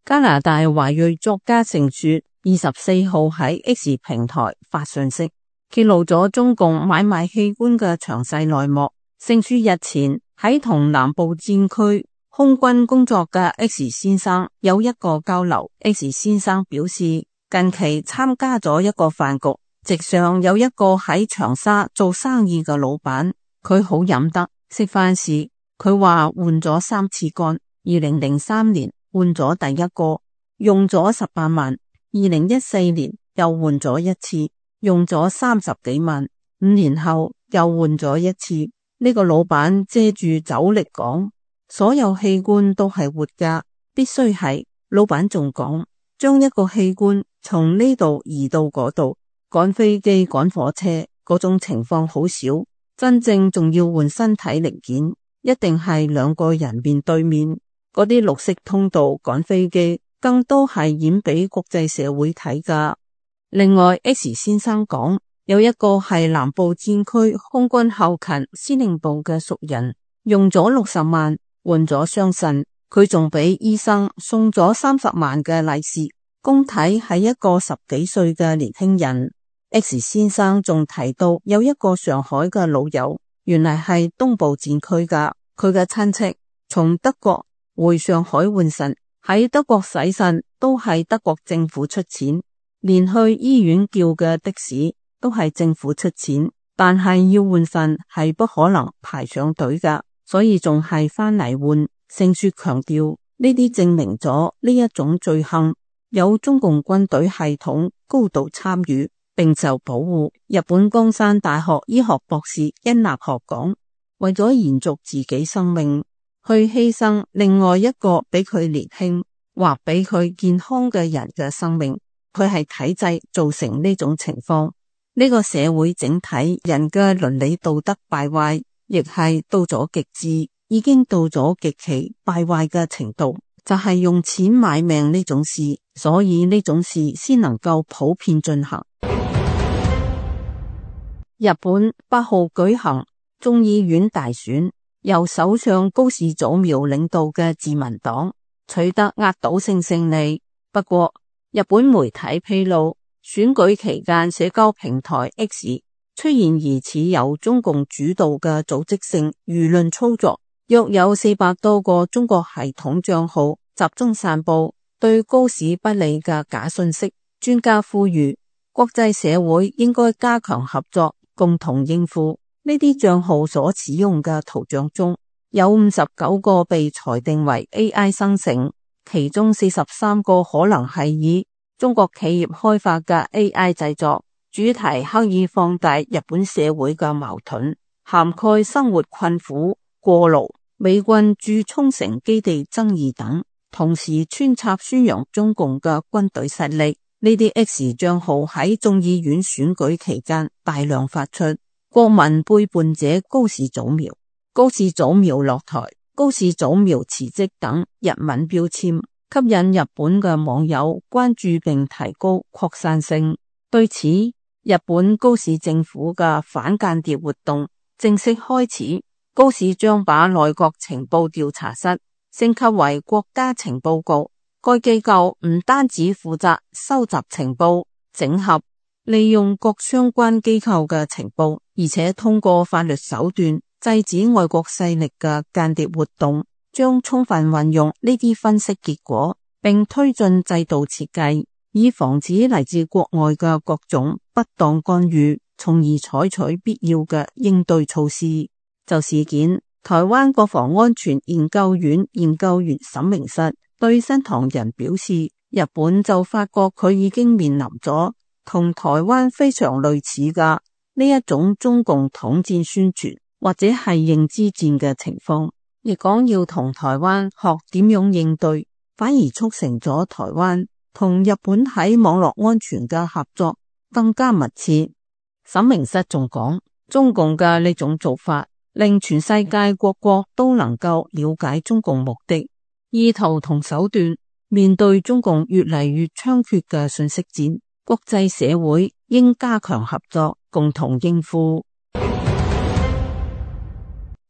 [SPEAKER 4] 加拿大華裔作家盛雪24號喺 X 平台發信息，揭露咗中共買賣器官嘅詳細內幕。盛雪日前喺同南部戰區空軍工作嘅 X 先生有一個交流。X 先生表示，近期參加咗一個飯局，席上有一個喺長沙做生意嘅老闆，佢好飲得。食飯時佢話換咗3次肝，2003年換咗第一個，用咗18萬，2014年又換咗一次，用咗30幾萬，5年後又換咗一次。呢個老闆借住酒力講，所有器官都係活㗎，必須係。老闆仲講，將一個器官從呢度移到嗰度，趕飛機趕火車嗰種情況好少，真正仲要換身體零件，一定係2個人面對面。嗰啲綠色通道趕飛機更多係演俾國際社會睇㗎。另外 X 先生講，有一個係南部戰區空軍後勤司令部嘅熟人，用咗60萬換咗雙腎，佢仲俾醫生送咗30萬嘅利是，公體係一個10幾歲嘅年輕人。X 先生仲提到有一個上海嘅老友，原來係東部戰區㗎，佢嘅親戚從德國回上海換腎，喺德國洗腎都係德國政府出錢，連去醫院叫嘅的士都係政府出錢，但係要換腎係不可能排上隊㗎，所以仲係返嚟換。盛雪強調，呢啲證明咗呢一種罪行有中共軍隊系統高度參與並受保護。日本江山大學醫學博士殷立學講，為咗延續自己生命，去犧牲另外一個比佢年輕或比佢健康嘅人嘅生命，佢係體制造成呢種情況。呢個社會整體人嘅倫理道德敗壞，亦係到咗極致，已經到咗極其敗壞嘅程度，就係用錢買命呢種事，所以呢種事先能夠普遍進行。日本8號舉行眾議院大選，由首相高市早苗領導嘅自民黨取得壓倒性勝利。不過，日本媒體披露，選舉期間社交平台 X 出現疑似由中共主導嘅組織性輿論操作，約有400多個中國系統賬號集中散布對高市不利嘅假信息。專家呼籲國際社會應該加強合作，共同應付。呢啲賬號所使用嘅圖像中有59個被裁定為 AI 生成，其中43個可能係以中國企業開發嘅 AI 製作，主題刻意放大日本社會嘅矛盾，涵蓋生活困苦、過勞、美軍駐沖繩基地爭議等，同時穿插宣揚中共嘅軍隊實力。呢啲 X 賬號喺眾議院選舉期間大量發出，國民背叛者高市早苗、高市早苗落台、高市早苗辭職等日文標籤，吸引日本嘅網友關注並提高擴散性。對此，日本高市政府嘅反間諜活動正式開始，高市將把內閣情報調查室升級為國家情報局。該機構唔單止負責收集情報、整合、利用各相關機構嘅情報，而且通過法律手段制止外國勢力嘅間諜活動，將充分運用呢啲分析結果，並推進制度設計，以防止嚟自國外嘅各種不當干預，從而採取必要嘅應對措施。就事件，台灣國防安全研究院研究員沈明室對新唐人表示，日本就發覺佢已經面臨咗同台灣非常類似嘅呢一種中共統戰宣傳或者係認知戰嘅情況，亦講要同台灣學點樣應對，反而促成咗台灣同日本喺網絡安全嘅合作更加密切。沈明室仲講，中共嘅呢種做法令全世界各國都能夠了解中共目的、意圖同手段。面對中共越嚟越猖獗嘅信息戰，國際社會應加強合作，共同應付。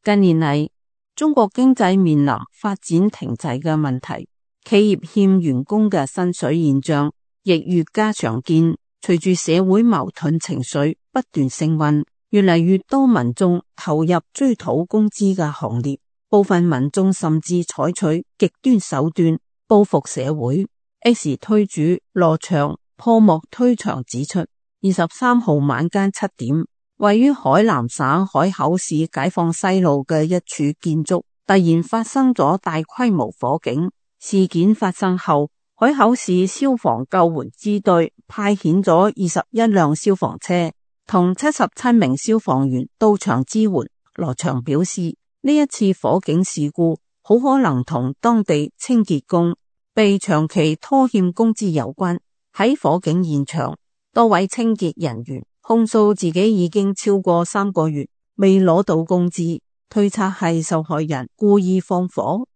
[SPEAKER 4] 近年嚟，中國經濟面臨發展停滯嘅問題，企業欠員工嘅薪水現象亦越加常見。隨住社會矛盾情緒不斷升溫，越嚟越多民眾投入追討工資嘅行列，部分民眾甚至採取極端手段報復社會。X 推主羅翔破幕推牆指出，23號晚間7點，位於海南省海口市解放西路嘅一處建築突然發生咗大規模火警。事件發生後，海口市消防救援支隊派遣咗21輛消防車同77名消防員到場支援。羅翔表示，呢一次火警事故好可能同當地清潔工被長期拖欠工資有關。喺火警現場，多位清潔人員控訴自己已經超過3個月未攞到工資，推測係受害人故意放火。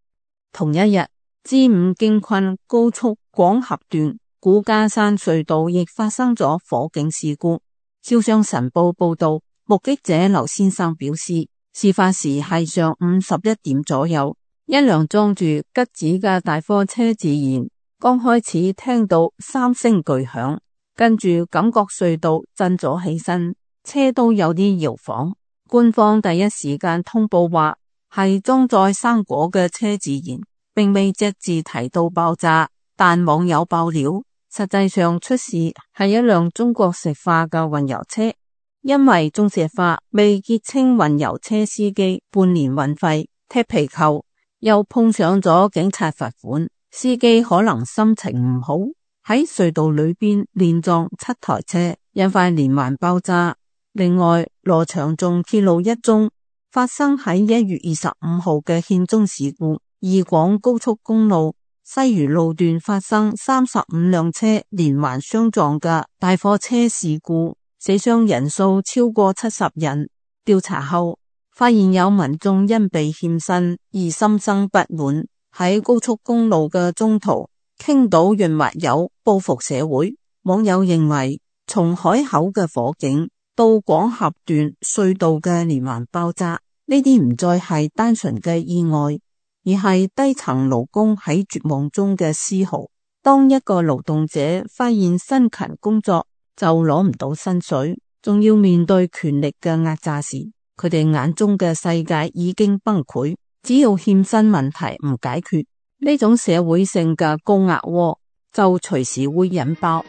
[SPEAKER 4] 同一日，G5京昆高速廣合段古家山隧道亦發生咗火警事故。招商晨報報道，目擊者劉先生表示，事發時係上午11點左右，一輛裝住桔子嘅大貨車自燃，剛開始聽到3聲巨響，跟住感覺隧道震咗起身，車都有啲搖晃。官方第一時間通報話係裝載生果嘅車自燃，並未隻字提到爆炸，但網友爆料實際上出事係一輛中國石化嘅運油車，因為中石化未結清運油車司機半年運費踢皮球，又碰上咗警察罰款，司機可能心情唔好，喺隧道裏邊連撞7台車，引發連環爆炸。另外，羅翔仲揭露一宗發生喺1月25號嘅險中事故，義廣高速公路西嶼路段發生35輛車連環相撞嘅大貨車事故，死傷人數超過70人。調查後發現有民眾因被欠薪而心生不滿，喺高速公路嘅中途傾倒潤滑油報復社會。網友認為，從海口嘅火警到廣峽段隧道嘅連環爆炸，呢啲唔再係單純嘅意外，而係低層勞工喺絕望中嘅嘶號。當一個勞動者發現辛勤工作就攞唔到薪水，仲要面對權力嘅壓榨時，佢哋眼中嘅世界已經崩潰。只要欠薪問題唔解決，呢種社會性嘅高壓鍋就隨時會引爆。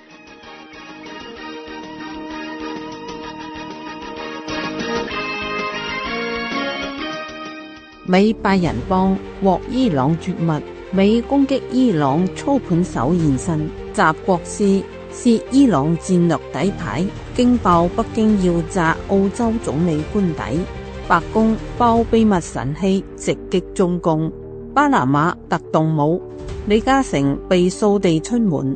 [SPEAKER 4] 美8人幫獲伊朗絕密，美攻擊伊朗操盤手現身，習國師涉伊朗戰略底牌，驚爆北京要炸澳洲總理官邸，白宮爆秘密神器直擊中共，巴拿馬特動武，李嘉誠被掃地出門。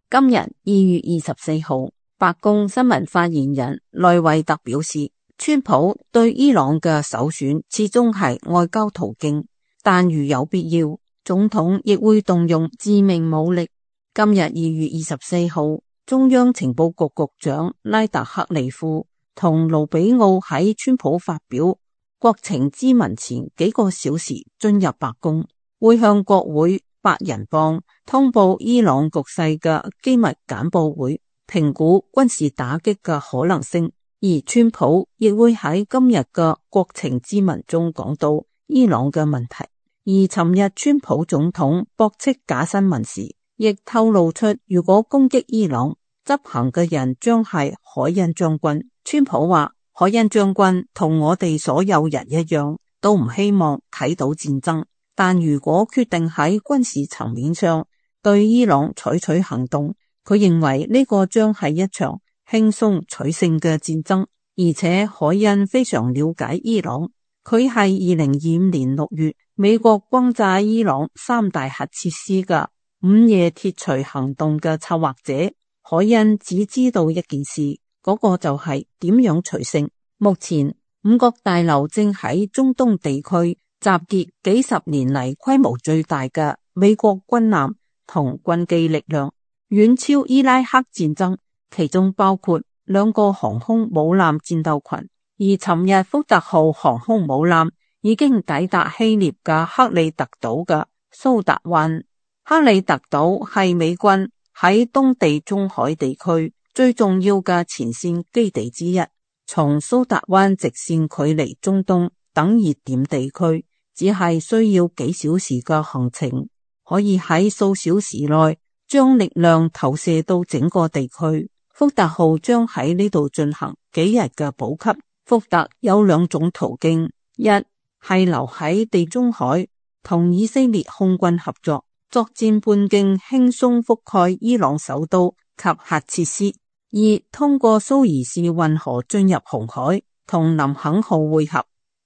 [SPEAKER 4] 今日2月24號，白宮新聞發言人萊維特表示，川普對伊朗嘅首選始終係外交途徑，但如有必要，總統亦會動用致命武力。今日2月24號，中央情報局局長拉特克利夫同盧比奧喺川普發表國情咨文前幾個小時進入白宮，會向國會8人幫通報伊朗局勢嘅機密簡報會，評估軍事打擊嘅可能性。而川普亦會喺今日嘅國情咨文中講到伊朗嘅問題。而尋日川普總統駁斥假新聞時，亦透露出如果攻擊伊朗，執行嘅人將係海恩將軍。川普話，海恩將軍同我哋所有人一樣，都唔希望睇到戰爭，但如果決定喺軍事層面上對伊朗採取行動，佢認為呢個將係一場輕鬆取勝嘅戰爭。而且海恩非常了解伊朗，佢係2025年6月美國轟炸伊朗3大核設施嘅午夜鐵錘行動嘅策劃者。海恩只知道一件事，嗰個就係點樣取勝。目前5角大樓正喺中東地區集結幾十年嚟規模最大嘅美國軍艦同軍機力量，遠超伊拉克戰爭，其中包括2個航空母艦戰鬥群。而尋日福特號航空母艦已經抵達希臘嘅克里特島嘅蘇達灣。克里特島係美軍喺東地中海地區最重要嘅前線基地之一。從蘇達灣直線距離中東等熱點地區，只係需要幾小時嘅行程，可以喺數小時內將力量投射到整個地區。福特號將喺呢度進行幾日嘅補給。福特有2種途徑，一係留喺地中海同以色列空軍合作，作戰半徑輕鬆覆蓋伊朗首都及核設施；二通過蘇伊士運河進入紅海同林肯號會合。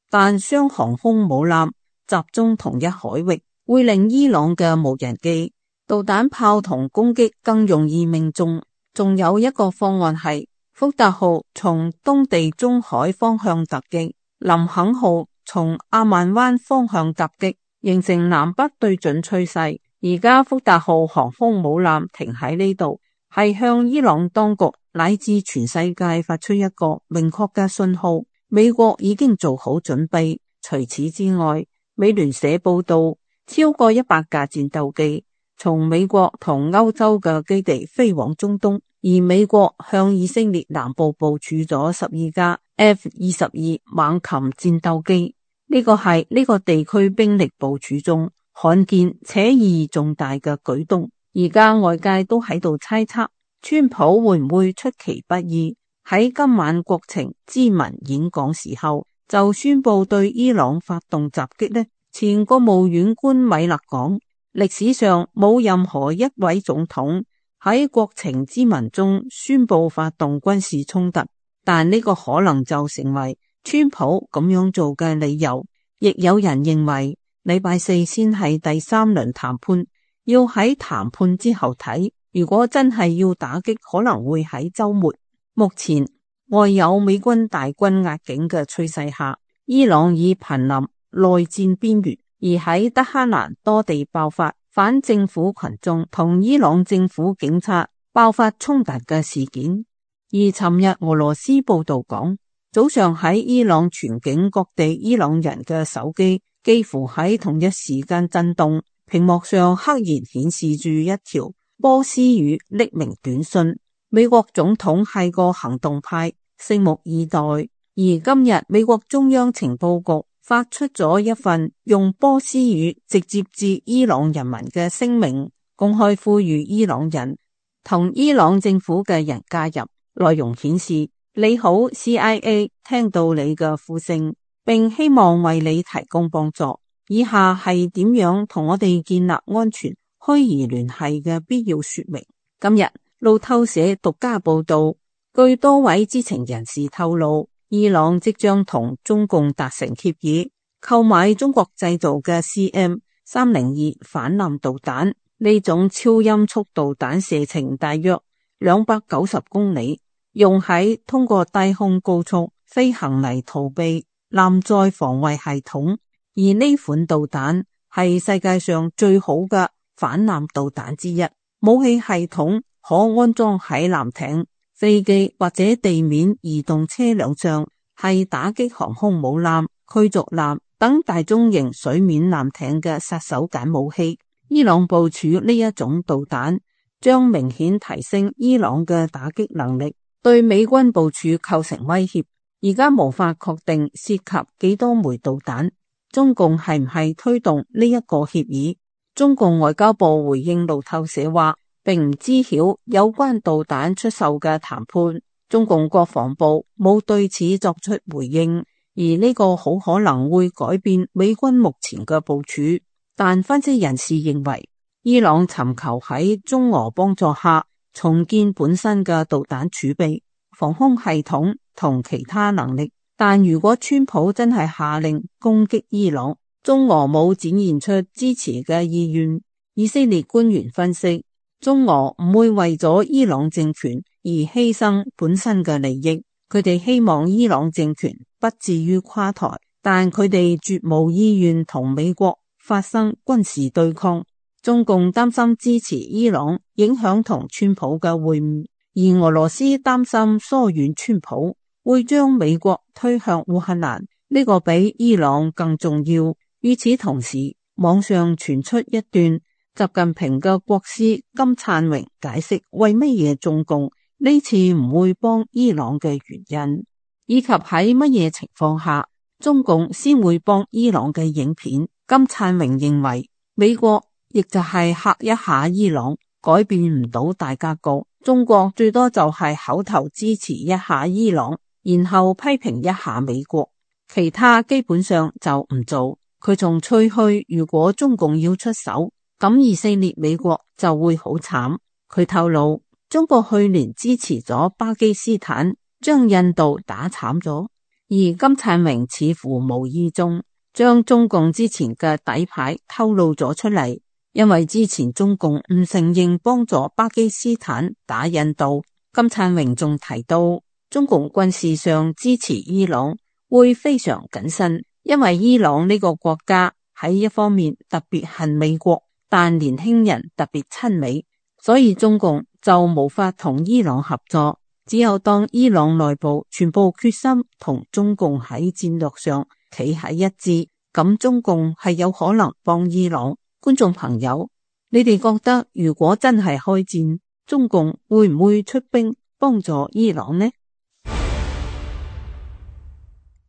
[SPEAKER 4] 但雙航空母艦集中同一海域，會令伊朗嘅無人機、導彈炮同攻擊更容易命中。仲有一個方案係福特號從東地中海方向突擊，林肯號從阿曼灣方向突擊，形成南北對準趨勢。而家福特號航空母艦停喺呢度，係向伊朗當局乃至全世界發出一個明確嘅信號，美國已經做好準備。除此之外，美聯社報道，超過100架戰鬥機從美國同歐洲嘅基地飛往中東，而美國向以色列南部部署咗12架 F-22 猛禽戰鬥機，呢個係呢個地區兵力部署中罕見且意義重大嘅舉動。而家外界都喺度猜測，川普會唔會出其不意喺今晚國情咨文演講時候就宣布對伊朗發動襲擊呢？前國務院官米勒講，歷史上冇任何一位總統喺國情咨文中宣布發動軍事衝突，但呢個可能就成為川普咁樣做嘅理由。亦有人認為禮拜四先係第三輪談判，要喺談判之後睇，如果真係要打擊，可能會喺週末。目前外有美軍大軍壓境嘅趨勢下，伊朗已瀕臨內戰邊緣，而喺德黑蘭多地爆發反政府群眾同伊朗政府警察爆發衝突嘅事件。而尋日俄羅斯報道講，早上喺伊朗全境各地伊朗人嘅手機幾乎喺同一時間震動，屏幕上赫然顯示住一條波斯語匿名短信。美國總統係個行動派，拭目以待。而今日美國中央情報局發出咗一份用波斯語直接致伊朗人民嘅聲明，公開呼籲伊朗人同伊朗政府嘅人加入。內容顯示，你好 CIA， 聽到你嘅呼聲，並希望為你提供幫助。以下係點樣同我哋建立安全虛擬聯繫嘅必要說明。今日路透社獨家報道，據多位知情人士透露，伊朗即將同中共達成協議，購買中國製造嘅 CM302 反艦導彈。呢種超音速導彈射程大約290公里，用喺通過低空高速飛行嚟逃避艦載防衛系統。而呢款導彈係世界上最好嘅反艦導彈之一，武器系統可安裝喺艦艇、飛機或者地面移動車輛上，係打擊航空母艦、驅逐艦等大中型水面艦艇嘅殺手鐧武器。伊朗部署呢一種導彈，將明顯提升伊朗嘅打擊能力，對美軍部署構成威脅。而家無法確定涉及幾多枚導彈，中共係唔係推動呢一個協議？中共外交部回應路透社話，並唔知曉有關導彈出售嘅談判。中共國防部冇對此作出回應，而呢個好可能會改變美軍目前嘅部署。但分析人士認為，伊朗尋求喺中俄幫助下重建本身嘅導彈儲備、防空系統同其他能力。但如果川普真係下令攻擊伊朗，中俄冇展現出支持嘅意願。以色列官員分析，中俄唔會為咗伊朗政權而犧牲本身嘅利益，佢哋希望伊朗政權不至於垮台，但佢哋絕無意願同美國發生軍事對抗。中共擔心支持伊朗影響同川普嘅會晤，而俄羅斯擔心疏遠川普會將美國推向烏克蘭，呢個比伊朗更重要。與此同時，網上傳出一段習近平嘅國師金燦榮解釋為乜嘢中共呢次唔會幫伊朗嘅原因，以及喺乜嘢情況下中共先會幫伊朗嘅影片。金燦榮認為，美國亦就係嚇一下伊朗，改變唔到大格局。中國最多就係口頭支持一下伊朗，然後批評一下美國，其他基本上就唔做。佢仲吹噓，如果中共要出手，咁以色列美國就會好慘。佢透露，中國去年支持咗巴基斯坦，將印度打慘咗。而金燦榮似乎無意中將中共之前嘅底牌透露咗出嚟，因為之前中共唔承認幫助巴基斯坦打印度。金燦榮仲提到，中共軍事上支持伊朗會非常謹慎，因為伊朗呢個國家喺一方面特別恨美國，但年輕人特別親美，所以中共就無法同伊朗合作。只有當伊朗內部全部決心同中共喺戰略上企喺一致，咁中共係有可能幫伊朗。觀眾朋友，你哋覺得如果真係開戰，中共會唔會出兵幫助伊朗呢？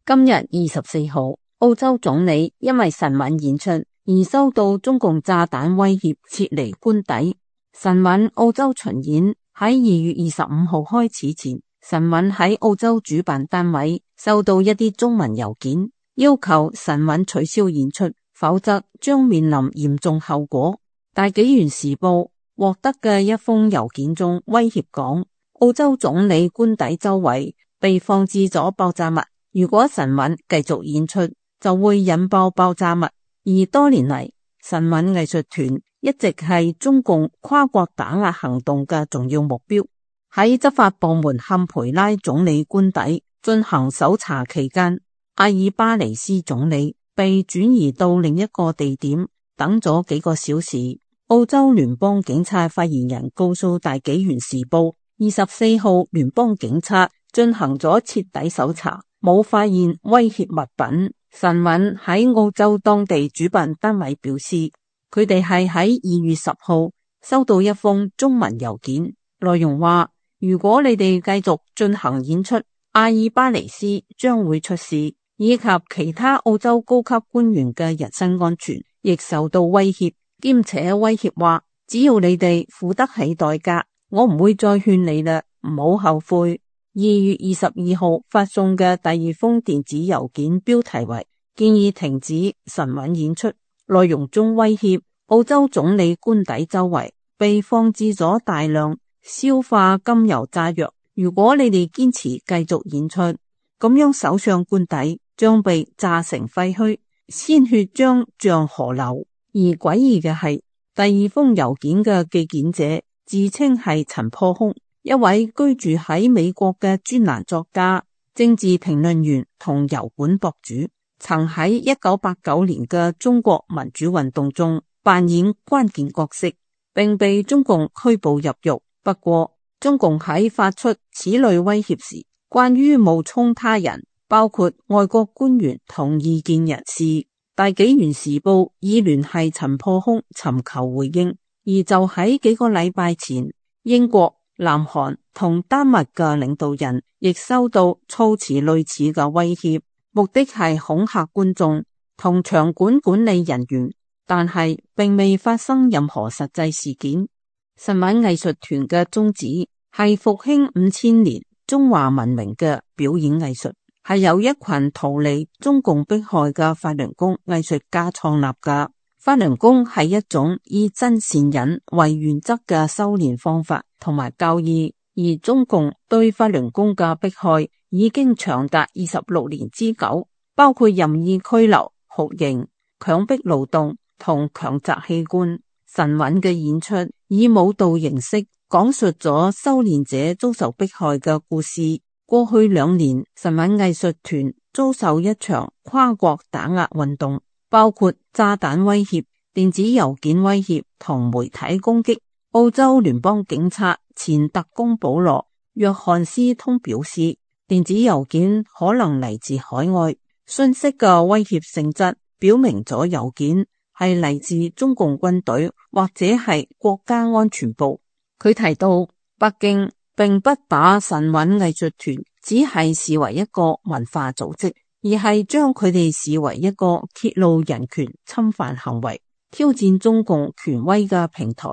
[SPEAKER 4] 今日24號，澳洲總理因為神韻演出而收到中共炸彈威脅撤離官邸。晨韻澳洲巡演喺2月25號開始前，晨韻喺澳洲主辦單位收到一啲中文郵件，要求晨韻取消演出，否則將面臨嚴重後果。大紀元時報獲得嘅一封郵件中威脅講，澳洲總理官邸周圍被放置咗爆炸物，如果晨韻繼續演出就會引爆爆炸物。而多年嚟，晨韻藝術團一直係中共跨國打壓行動嘅重要目標。喺執法部門坎培拉總理官邸進行搜查期間，阿爾巴尼斯總理被轉移到另一個地點等咗幾個小時。澳洲聯邦警察發言人告訴大紀元時報，24號聯邦警察進行咗徹底搜查，冇發現威脅物品。晨韻喺澳洲當地主辦單位表示，佢哋係喺2月10號收到一封中文郵件，內容話，如果你哋繼續進行演出，阿爾巴尼斯將會出事，以及其他澳洲高級官員嘅人身安全亦受到威脅，兼且威脅話，只要你哋付得起代價，我唔會再勸你啦，唔好後悔。2月22號發送嘅第二封電子郵件標題為建議停止晨韻演出，內容中威脅澳洲總理官邸周圍被放置咗大量硝化甘油炸藥，如果你哋堅持繼續演出，咁樣首相官邸將被炸成廢墟，鮮血將像河流。而詭異嘅係，第二封郵件嘅寄件者自稱係陳破空，一位居住喺美國嘅專欄作家、政治評論員同油管博主，曾喺1989年嘅中國民主運動中扮演關鍵角色，並被中共拘捕入獄。不過，中共喺發出此類威脅時，關於冒充他人，包括外國官員同異見人士，大紀元時報已聯繫陳破空尋求回應。而就喺幾個禮拜前，英國、南韓同丹麥嘅領導人亦收到措辭類似嘅威脅，目的係恐嚇觀眾同場館管理人員，但係並未發生任何實際事件。晨韻藝術團嘅宗旨係復興5000年中華文明嘅表演藝術，係由一群逃離中共迫害嘅法輪功藝術家創立嘅。法輪功係一種以真善忍為原則嘅修煉方法同埋教義，而中共對法輪功嘅迫害已經長達26年之久，包括任意拘留、酷刑、強迫勞動同強摘器官。晨韻嘅演出以舞蹈形式講述咗修煉者遭受迫害嘅故事。過去2年，晨韻藝術團遭受一場跨國打壓運動，包括炸彈威脅、電子郵件威脅同媒體攻擊。澳洲聯邦警察前特工保羅·約翰斯通表示，電子郵件可能嚟自海外，信息嘅威脅性質表明咗郵件係嚟自中共軍隊或者係國家安全部。佢提到，北京並不把晨韻藝術團只係視為一個文化組織，而係將佢哋視為一個揭露人權侵犯行為、挑戰中共權威嘅平台。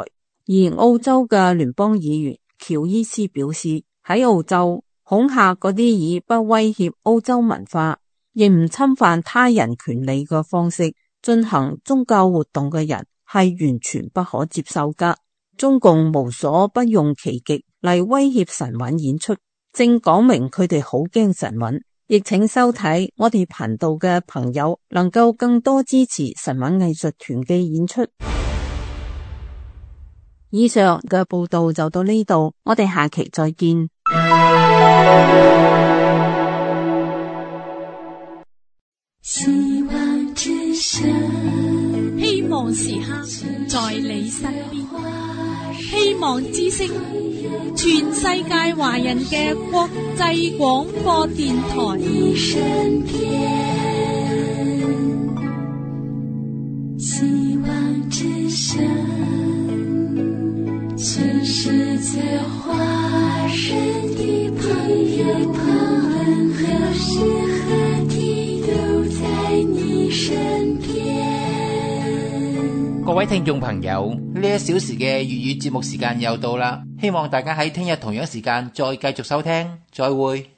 [SPEAKER 4] 而澳洲嘅聯邦議員喬伊斯表示，喺澳洲恐嚇嗰啲以不威脅澳洲文化，亦唔侵犯他人權利嘅方式進行宗教活動嘅人係完全不可接受噶。中共無所不用其極嚟威脅晨韻演出，正講明佢哋好驚晨韻。亦請收睇我哋頻道嘅朋友能夠更多支持晨韻藝術團嘅演出。以上嘅報道就到呢度，我哋下期再見。
[SPEAKER 5] 希望之聲，希望時刻在你身邊，希望之聲，全世界華人嘅國際廣播電台。希望之聲，全世界華人的朋友們，何時何地都在你身邊。
[SPEAKER 6] 各位聽眾朋友，呢1小時嘅粵語節目時間又到啦，希望大家喺聽日同樣時間再繼續收聽，再會。